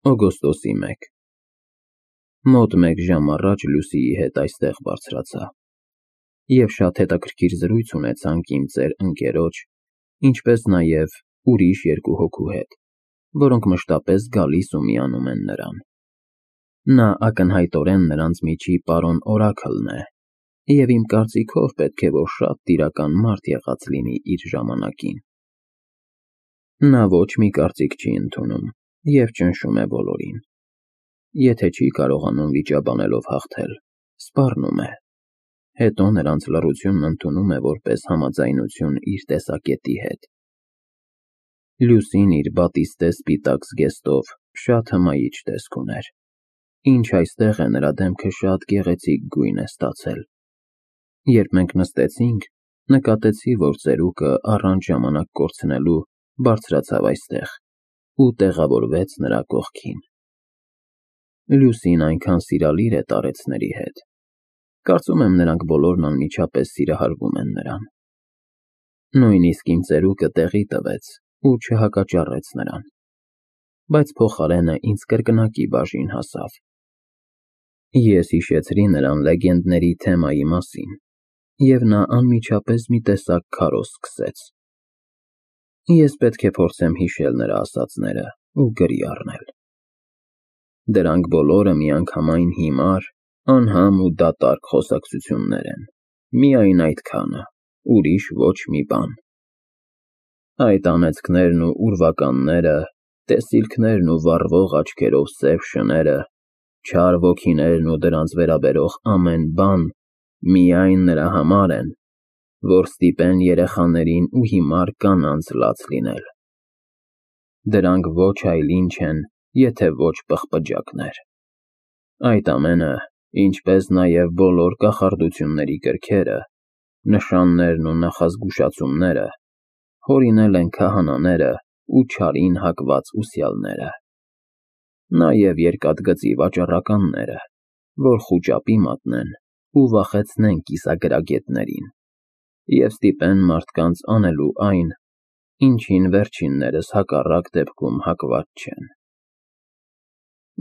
Օգոստոսի 1 Մոտ մեկ ժամ առաջ Լուսիի հետ այստեղ բարձրացա և շատ հետաքրքիր զրույց ունեցանք իմ ծեր ընկերոջ, ինչպես նաև ուրիշ երկու հոգու հետ, որոնք մշտապես գալիս ու միանում են նրան։ Նա ակնհայտորեն նրանց միջի պարոն Օրաքլն է և իմ կարծիքով պետք է որ շատ տիրական մարդ եղած լինի իր ժամանակին։ Նա ոչ մի կարծիք չի ընդունում և ճնշում է բոլորին։ Եթե չի կարողանում վիճաբանելով հաղթել, սպառնում է, հետո նրանց լռությունն ընդունում է որպես համաձայնություն իր տեսակետի հետ։ Լուսին իր բատիստե սպիտակ զգեստով շատ հմայիչ տեսք ուներ, ինչ այստեղ է նրա դեմքը շատ գեղեցիկ գույն է ստացել։ Երբ մենք նստեցինք, նկատեցի, որ ծերուկը առանց ժամանակ կորցնելու բարձրացավ այստեղ ու տեղավորվեց նրա կողքին։ Լուսին այնքան սիրալիր է տարեցների հետ։ Կարծում եմ նրանք բոլորն անմիջապես սիրահարվում են նրան։ Նույնիսկ իմ ծերուկը տեղի տվեց ու չհակաճառեց նրան, բայց փոխարենը ինձ կրկնակի բաժին հասավ։ Ես հիշեցրի նրան լեգենդների թեմայի մասին, և նա անմիջապես մի տեսակ քարոզ սկսեց։ Ես պետք է փորձեմ հիշել նրա ասածները ու գրի առնել։ Դրանք բոլորը միանգամայն հիմար, անհամ ու դատարկ խոսակցություններ են, միայն այդքանը, ուրիշ ոչ մի բան։ Այդ անեծքներն ու ուրվականները, տեսիլքներն ու վառվող աչքերով սև շները, չար ոգիներն ու դրանց վերաբերող ամեն բան միայն նրա համար են, որ ստիպեն երեխաներին ու հիմար կանանց լաց լինել։ Դրանք ոչ այլ ինչ են, եթե ոչ պղպջակներ։ Այդ ամենը, ինչպես նաև բոլոր կախարդությունների կրքերը, նշաններն ու նախազգուշացումները, հորինել են քահանաները ու չարին հակված ուսյալները, նաև երկաթգծի վաճառականները, որ խուճապի մատնեն ու վախեցնեն կիսագրագետներին և ստիպեն մարդկանց անելու այն, ինչին վերջիններս հակառակ դեպքում հակված չեն։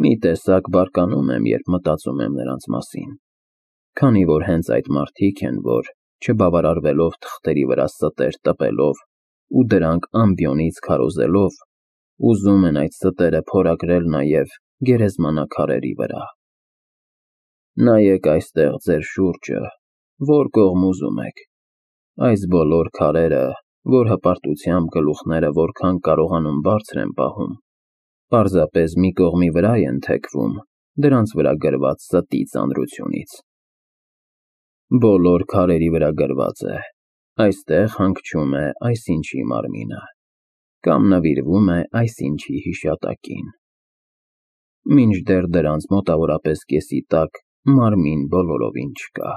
Մի տեսակ բարկանում եմ, երբ մտածում եմ նրանց մասին, քանի որ հենց այդ մարդիկ են, որ, չբավարարվելով թղթերի վրա ստեր տպելով ու դրանք ամբիոնից քարոզելով, ուզում են այդ ստերը փորագրել նաև գերեզմանաքարերի վրա։ Նայեք այստեղ ձեր շուրջը, որ կողմ ուզում եք, այս բոլոր քարերը, որ հպարտությամբ գլուխները որքան կարողանում բարձր են պահում, պարզապես մի կողմի վրա են թեքվում դրանց վրա գրված ստի ծանրությունից։ Բոլոր քարերի վրա գրված է. այստեղ հանգչում է այսինչի մարմինը, կամ նվիրվում է այսինչի հիշատակին։ Մինչդեռ դրանց մոտավորապես կեսի տակ մարմին բոլորովին չկա,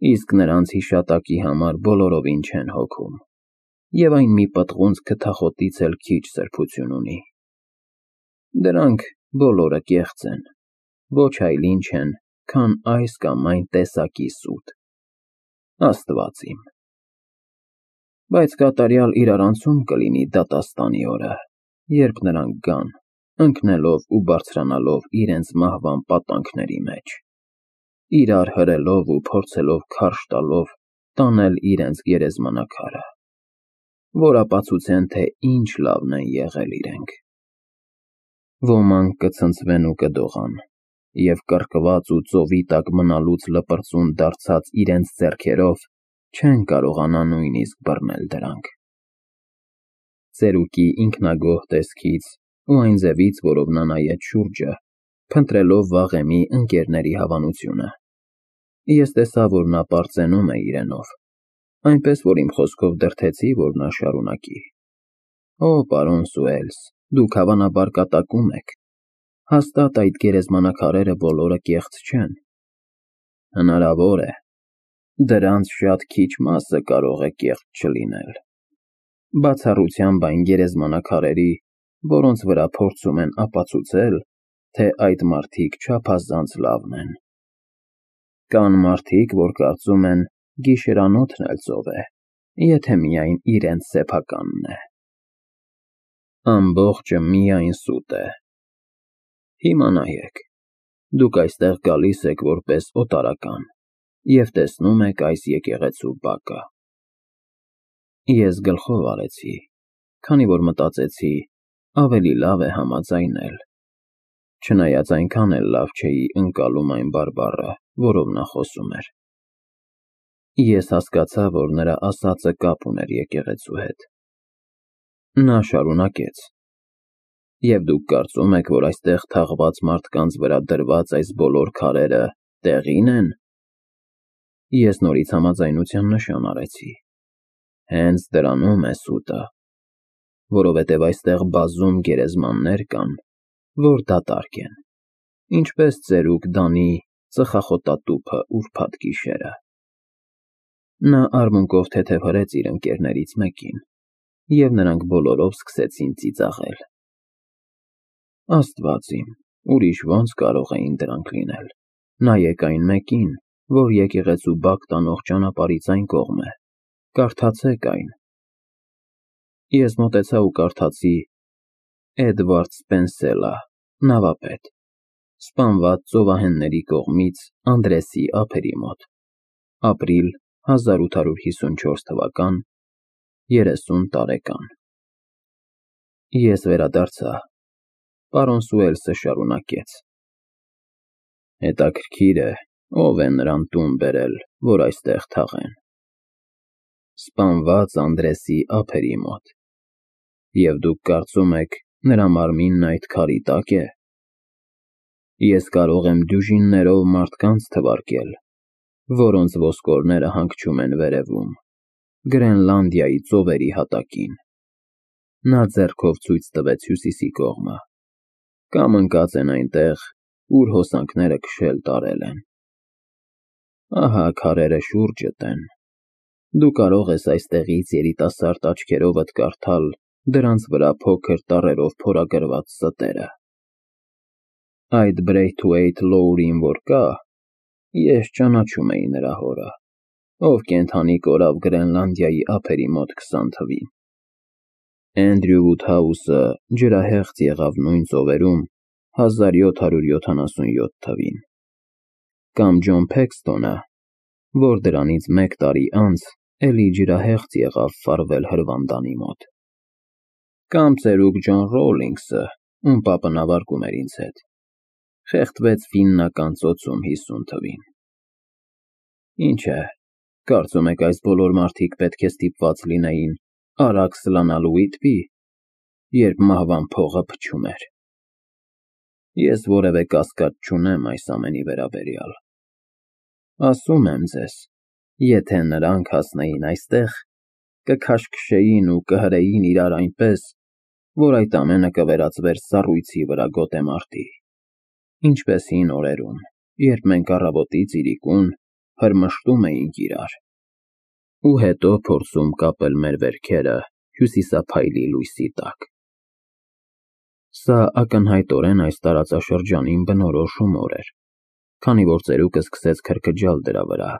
իսկ նրանց հիշատակի համար բոլորովին չեն հոգում, և այն մի պտղունց քթախոտից էլ քիչ սրբություն ունի։ Դրանք բոլորը կեղծ են, ոչ այլ ինչ են, քան այս կամ այն տեսակի սուտ։ Աստված իմ։ Բայց կատարյալ իրարանցում կլինի դատաստանի օրը, երբ նրանք գան, ընկնելով ու բարձրանալով իրենց մահվան պատանքների մեջ, իրար հրելով ու փորձելով քարշ տալով տանել իրենց գերեզմանակարը, որ ապացուցեն, թե ինչ լավն են եղել իրենք։ Ոմանք կցնցվեն ու կդողան, և կռկված ու ծովի տակ մնալուց լպրծուն դարձած իրենց ձեռքերով չեն կարողանա նույնիսկ բռնել դրանք։ Ծերուկի ինքնագոհ տեսքից ու այն ձևից, որով նա նայեց շուրջը, փնտրելով վաղեմի ընկերների հավանությունը, ես տեսա, որ նա պարծենում է իրենով, այնպես որ իմ խոսքով դրդեցի, որ նա շարունակի. Օ, պարոն Սուելս, դուք հավանաբար կատակում եք, հաստատ այդ գերեզմանակարերը բոլորը կեղծ չեն։ Հնարավոր է, դրանց շատ քիչ մասը կարող է կեղծ չլինել, բացառությամբ այն գերեզմանակարերի, որոնց վրա փորձում են ապացուցել, թե այդ մարդիկ չափազանց լավն են։ Կան մարդիկ, որ կարծում են, գիշերանոթն էլ ծով է, եթե միայն իրենց սեփականն է։ Ամբողջը միայն սուտ է, Հիմա նայեք, դուք այստեղ գալիս եք որպես օտարական և տեսնում եք այս եկեղեցու բակը։ Ես գլխով արեցի, քանի որ մտածեցի ավելի լավ է համաձայնել, չնայած այնքան էլ լավ չէի ընկալում այն բարբառը, որով նա խոսում էր։ Ես հասկացա, որ նրա ասածը կապ ուներ եկեղեցու հետ։ Նա շարունակեց. Եվ դուք կարծում եք, որ այստեղ թաղված մարդկանց վրա դրված այս բոլոր քարերը տեղին են։ Ես նորից համաձայնության նշան արեցի։ Հենց դրանում է սուտը, որովհետև այստեղ բազում գերեզմաններ կան, որ դատարկ են, ինչպես ծերուկ Դանի ծխախոտատուփը ուրբաթ գիշերը։ Նա արմունկով թեթևհրեց իր ընկերներից մեկին, և նրանք բոլորով սկսեցին ծիծաղել։ Աստված իմ, ուրիշ ո՞նց կարող էին դրանք լինել։ Նայեք այն մեկին, որ եկեղեցու բակ տանող ճանապարհից այն կողմ է, կարդացեք այն։ Ես մոտեցա ու կարդացի Էդվարդ Սպենսելա, նավապետ, սպանված ծովահենների կողմից Անդրեսի ափերի մոտ, ապրիլ 1854 թվական, 30 տարեկան։ Ես վերադարձա, պարոն Սուելսը շարունակեց. Հետաքրքիր է, ով է նրան տուն բերել, որ այստեղ թաղեն։ Սպանված Անդրեսի ափերի մոտ։ Եվ դուք կարծում եք, նրա մարմինն այդ քարի տակ է։ Ես կարող եմ դյուժիններով մարդկանց թվարկել, որոնց ոսկորները հանգչում են վերևում, Գրենլանդիայի ծովերի հատակին։ Նա ձեռքով ցույց տվեց հյուսիսի կողմը, կամ ընկած են այնտեղ, ուր հոսանքները քշել տարել են։ Ահա քարերը շուրջդ են։ Դու կարող ես այստեղից երիտասարդ աչքերովդ կարդալ դրանց վրա փոքր տառերով փորագրված ստերը։ Այդ Բրեյթուեյթ Լոուրին որ կա, ես ճանաչում էի նրա հորը, ով կենդանի կորավ Գրենլանդիայի ափերի մոտ 20 թվին։ Էնդրյու Վուդհաուսը ջրահեղձ եղավ նույն ծովերում 1777 թվին։ Կամ Ջոն Փեքսթոնը, որ դրանից մեկ տարի անց էլի ջրահեղձ եղավ Ֆարվել հրվանդանի մոտ։ Կամ ծերուկ Ջոն Ռոուլինգսը, ում պապը նավարկում էր ինձ հետ, խեղդվեց Ֆիննական ծոցում 50 թվին։ Ինչ է, կարծում եք այս բոլոր մարդիկ պետք է ստիպված լինեին արագ սլանալ Ուիտպի, երբ մահվան փողը փչում էր։ Ես որևէ կասկած չունեմ այս ամենի վերաբերյալ։ Ասում եմ ձեզ, եթե նրանք հասնեին այստեղ, կքաշքշեին ու կհրեին իրար այնպես, որ այդ ամենը կվերածվեր սառույցի վրա գոտեմարտի, ինչպես հին օրերում, երբ մենք առավոտից իրիկուն հրմշտում էինք իրար, ու հետո փորձում կապել մեր վերքերը հյուսիսափայլի լույսի տակ։ Սա ակնհայտորեն այս տարածաշրջանին բնորոշ հումոր էր, քանի որ ծերուկը սկսեց քրքջալ դրա վրա։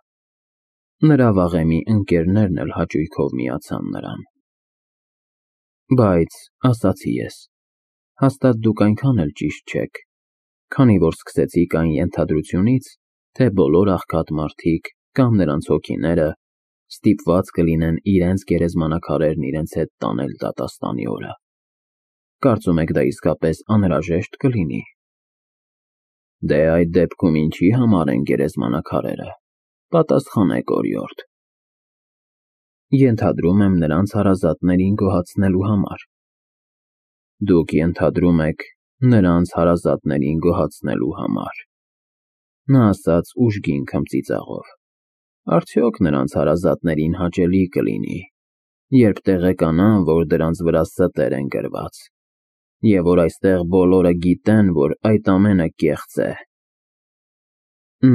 Նրա վաղեմի ընկերներն էլ հաճույքով միացան նրան։ Բայց, ասացի ես, հաստատ դուք այնքան էլ ճիշտ չեք, քանի որ սկսեցիք այն ենթադրությունից, թե բոլոր աղքատ մարդիկ կամ նրանց հոգիները ստիպված կլինեն իրենց գերեզմանակարերն իրենց հետ տանել դատաստանի օրը։ Կարծում եք դա իսկապես անհրաժեշտ կլինի։ Դե այդ դեպքում ինչի համար են գերեզմանակարերը, պատասխանեք օրիորդ։ Ենթադրում եմ նրանց հարազատներին գոհացնելու համար։ Դուք ենթադրում եք նրանց հարազատներին գոհացնելու համար։ Նա ասաց ուժգին քմծիծաղով։ Արդյոք նրանց հարազատներին հաճելի կլինի, երբ տեղեկանան, որ դրանց վրա ստեր են գրված, և որ այստեղ բոլորը գիտեն, որ այդ ամենը կեղծ է։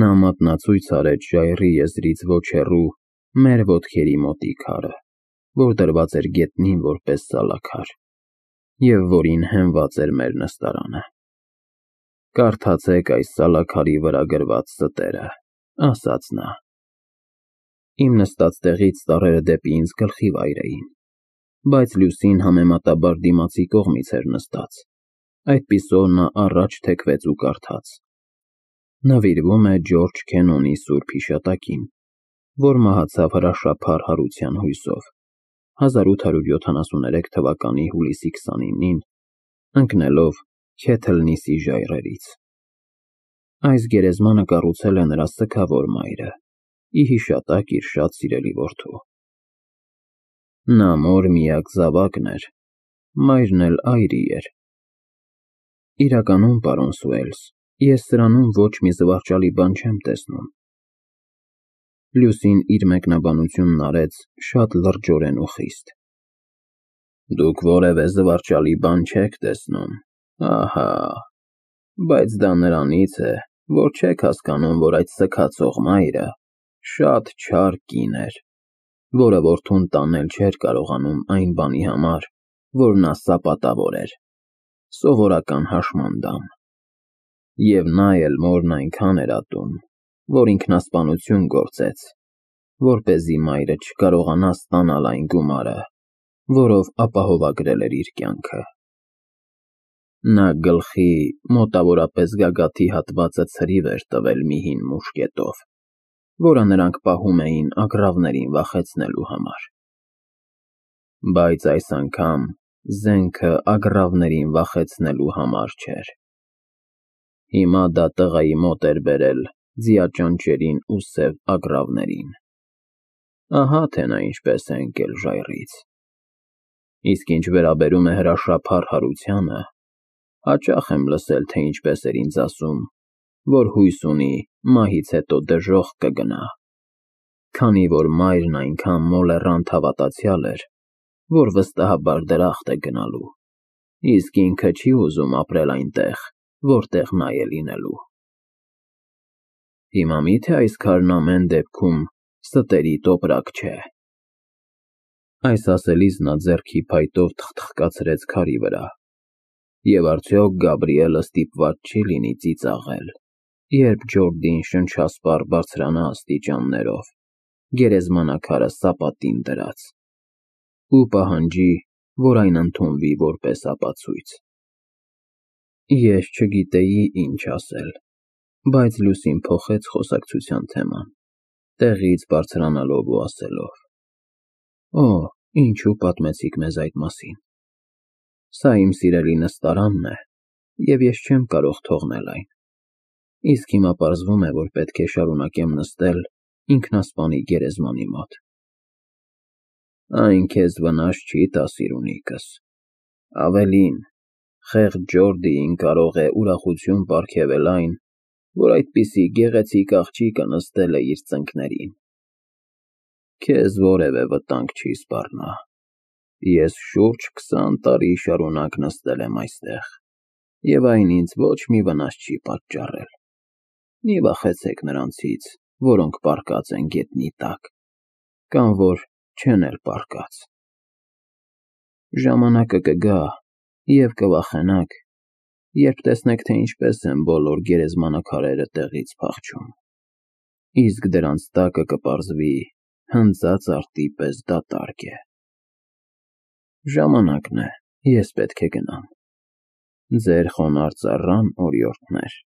Նա մատնացույց արեց ժայռի եզրից ոչ հեռու մեր ոտքերի մոտի քարը, որ դրված էր գետնին որպես սալաքար, և որին հենված էր մեր նստարանը։ Կարդացեք այս սալաքարի վրա գրված ստերը, ասաց նա։ Իմ նստած տեղից ծառերը դեպի ինձ գլխի վայր էին, բայց Լուսին համեմատաբար դիմացի կողմից էր նստած, Այդպիսով նա առաջ թեքվեց ու կարդաց. Նվիրվում է Ջորջ Քենոնի սուրբ հիշատակին, որ մահացավ հրաշափառ հարության հույսով 1873 թվականի հուլիսի 29-ին, ընկնելով Քեթլնիսի ժայռերից։ Այս գերեզմանը կառուցել է նրա սգավոր մայրը, ի հիշատակ իր շատ սիրելի որդու։ Նա մոր միակ զավակն էր, մայրն էլ այրի էր։ Իրականում, պարոն Սուելս, ես սրանում ոչ մի զվարճալի բան չեմ տեսնում։ Լուսին իր մեկնաբանությունն արեց շատ լրջորեն ու խիստ։ Դուք որևէ զվարճալի բան չեք տեսնում, ահա, բայց դա նրանից է, որ չեք հասկանում, որ այդ սգացող մայրը շատ չար կին էր, որը որդուն տանել չէր կարողանում այն բանի համար, որ նա սապատավոր էր, սովորական հաշմանդամ։ Եվ նա էլ մորն այնքան էր ատում, որ ինքնասպանություն գործեց, որպեսզի մայրը չկարողանա ստանալ այն գումարը, որով ապահովագրել էր իր կյանքը։ Նա գլխի մոտավորապես գագաթի հատվածը ցրիվ էր տվել մի հին մուշկետով, որը նրանք պահում էին ագռավներին վախեցնելու համար։ Բայց այս անգամ զենքը ագռավներին վախեցնելու համար չէր։ Հիմա դա տղայի մոտ էր բերել ձիաճանճերին ու սև ագռավներին։ Ահա թե նա ինչպես է ընկել ժայռից։ Իսկ ինչ վերաբերում է հրաշափառ հարությանը, հաճախ եմ լսել, թե ինչպես էր ինձ ասում, որ հույս ունի մահից հետո դժոխք կգնա, քանի որ մայրն այնքան մոլեռանդ հավատացյալ էր, որ վստահաբար դրախտ է գնալու, իսկ ինքը չի ուզում ապրել այնտեղ, որտեղ նա է լինելու։ Հիմա մի՞թե այս քարն ամեն դեպքում ստերի տոպրակ չէ։ Այս ասելիս նա ձեռքի փայտով թխթխկացրեց քարի վրա։ Եվ արդյոք Գաբրիելը ստիպված չի լինի ծիծաղել, երբ Ջորդին շնչասպառ բարձրանա աստիճաններով, գերեզմանակարը սապատին դրած, ու պահանջի, որ այն ընդունվի որպես ապացույց։ Ես չգիտեի ինչ ասել, բայց Լուսին փոխեց խոսակցության թեման, տեղից բարձրանալով ու ասելով. Օ, ինչու պատմեցիք մեզ այդ մասին։ Սա իմ սիրելի նստարանն է, և ես չեմ կարող թողնել այն, իսկ հիմա պարզվում է, որ պետք է շարունակեմ նստել ինքնասպանի գերեզմանի մոտ։ Այն քեզ վնաս չի տա, սիրունիկս, ավելին, խեղճ Ջորդիին կարող է ուրախություն պարգևել այն, որ այդպիսի գեղեցիկ աղջիկը նստել է իր ծնկներին։ Քեզ որևէ վտանգ չի սպառնա։ Ես շուրջ 20 տարի շարունակ նստել եմ այստեղ, և այն ինձ ոչ մի վնաս չի պատճառել։ Մի վախեցեք նրանցից, որոնք պառկած են գետնի տակ, կամ որ չեն էլ պառկած։ Ժամանակը կգա, և կվախենաք, երբ տեսնեք, թե ինչպես են բոլոր գերեզմանակարերը տեղից փախչում, իսկ դրանց տակը կպարզվի հնձած արտի պես դատարկ է։ Ժամանակն է, ես պետք է գնամ։ Ձեր խոնարհ ծառան, օրիորդներ։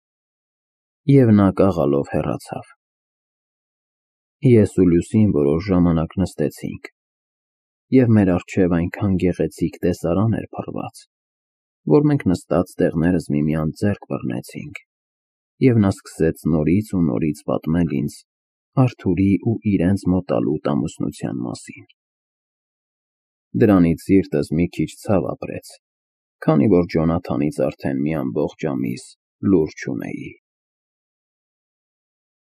Եվ նա կաղալով հեռացավ։ Ես ու Լուսին որոշ ժամանակ նստեցինք, և մեր առջև այնքան գեղեցիկ տեսարան էր փռված, որ մենք նստած տեղներս միմյանց ձեռք բռնեցինք, և նա սկսեց նորից ու նորից պատմել ինձ Արթուրի ու իրենց մոտալուտ ամուսնության մասին։ Դրանից սիրտս մի քիչ ցավ ապրեց, քանի որ Ջոնաթանից արդեն մի ամբողջ ամիս լուր չունեի։